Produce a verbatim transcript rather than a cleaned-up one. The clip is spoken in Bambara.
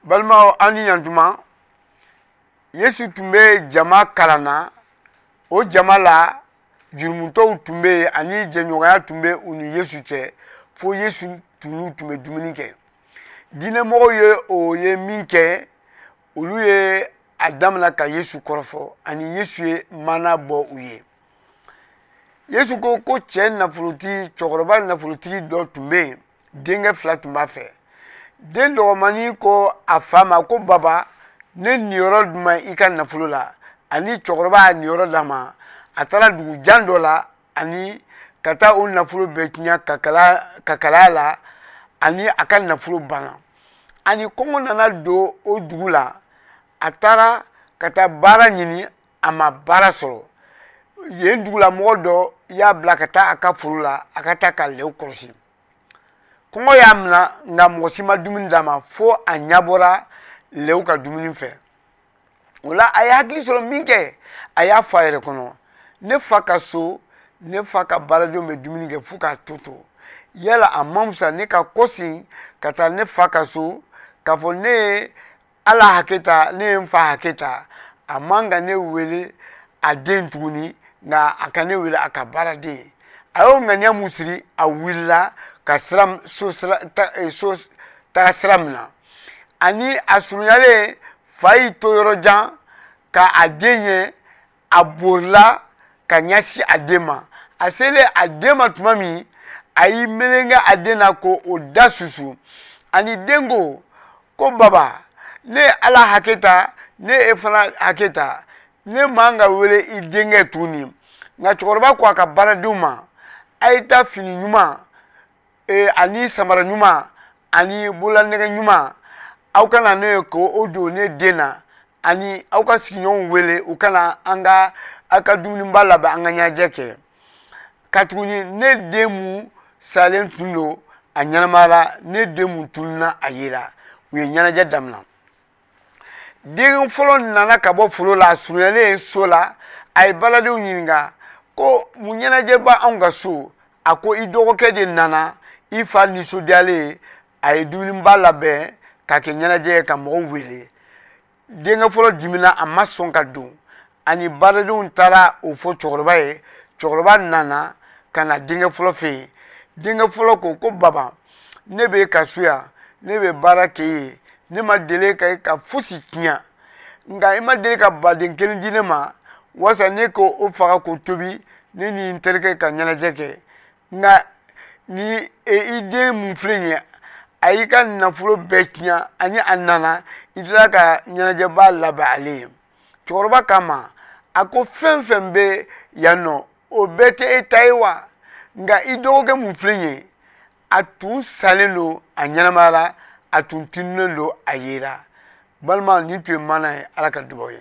Balimaw, aw ni ɲantuma. Yesu tun bɛ jama kalan na. O jama la, jurumutɔw tun bɛ yen, ani jɛɲɔgɔnya tun bɛ u ni Yesu cɛ, fo Yesu tun n'u tun bɛ dumuni kɛ. Diinɛmɔgɔw ye o ye min kɛ, olu ye a damina ka Yesu kɔrɔfɔ, ani Yesu ye maana bɔ u ye. Yesu ko ko cɛ nafolotigi, cɛkɔrɔba nafolotigi dɔ tun bɛ yen, denkɛ fila tun b'a fɛ. Den dɔgɔmani ko a fa ma ko: "Baba, ne niyɔrɔ jumɛn i ka nafolo la?" Ani cɛkɔrɔba y'a niyɔrɔ d'a ma. A taara dugu jan dɔ la ani ka taa o nafolo bɛɛ tiɲɛ ka kalaya la, ani a ka nafolo banna. Ani kɔngɔ nana don o dugu la. A taara ka taa baara ɲini, a ma baara sɔrɔ. Yen dugulamɔgɔ dɔ y'a bila ka taa a ka foro la, a ka taa ka lɛw kɔlɔsi. Kɔngɔ y'a minɛ, nka mɔgɔ si ma dumuni d'a ma, fo a ɲɛbɔra lɛw ka dumuni fɛ. O la, a ye hakili sɔrɔ min kɛ, a y'a fɔ a yɛrɛ kɔnɔ: "Ne fa ka so, ne fa ka baaradenw bɛ dumuni kɛ fo k'a to to. Yala a man fisa ne ka kɔsegin ka taa ne fa ka so k'a fɔ ne ye Ala hakɛ ta, ne ye n fa hakɛ ta. A man ka ne wele a den tuguni, nka a ka ne wele a ka baaraden ye." A y'o ŋaniya mun siri, a wulila ka sira so sira ta, so taga sira min na, ani a surunyalen, fa y'i to yɔrɔ jan ka a den ye. A bolila ka ɲɛsin a den ma. A selen a den ma tuma min, a y'i meleke a den na ko o da susu. Ani den ko ko: "Baba, ne ye Ala hakɛ ta, ne e fana hakɛ ta. Ne man ka wele i denkɛ tuguni." Nka cɛkɔrɔba ko a ka baaradenw ma: "A ye taa fini ɲuman ani samara ɲuman ani bololanɛgɛ ɲuman, aw ka na ne ye k'o don ne den na. Ani aw ka sigiɲɔgɔnw wele, u kana an ka aw ka dumuniba labɛn, an ka ɲɛnajɛ kɛ, katuguni ne den mun salen tun don, a ɲɛnamayara. Ne den mun tununna, a yera." U ye ɲɛnajɛ daminɛ. Den fɔlɔ nana ka bɔ foro la. A surunyalen so la, a ye baladenw ɲininka ko: "Mun ɲɛnajɛ b'anw anw ka so?" A ko: "I dɔgɔkɛ de nana, i fa nisɔndiyalen, a ye dumuniba labɛn k'a kɛ ɲɛnajɛ ye ka mɔgɔw wele." Denkɛ fɔlɔ dimina, a ma sɔn ka don. Ani baaradenw taara o fɔ cɛkɔrɔba ye. Cɛkɔrɔba nana ka na denkɛ fɔlɔ fɛ yen. Denkɛ fɔlɔ ko ko: "Baba, ne bɛ ka so yan, ne bɛ baara kɛ ye. Ne ma deli ka e ka fosi tiɲɛ, nka i ma deli ka baden kelen di ne ma walasa ne k'o faga k'o tobi, ne ni n terikɛ ka ɲɛnajɛ kɛ. Nka ni i den mun filɛ nin ye, a y'i ka nafolo bɛɛ tiɲɛ, ani a nana, i tilala ka ɲɛnajɛba labɛn ale ye." Cɛkɔrɔba k'a ma, a ko: "Fɛn fɛn bɛ yan nɔ, o bɛɛ tɛ e ta ye wa? Nka i dɔgɔkɛ mun filɛ nin ye, a tun salen don, a ɲɛnamayara. A tun tununnen don, a yera." Balima, nin tun ye maana ye. Ala ka dubaw ye.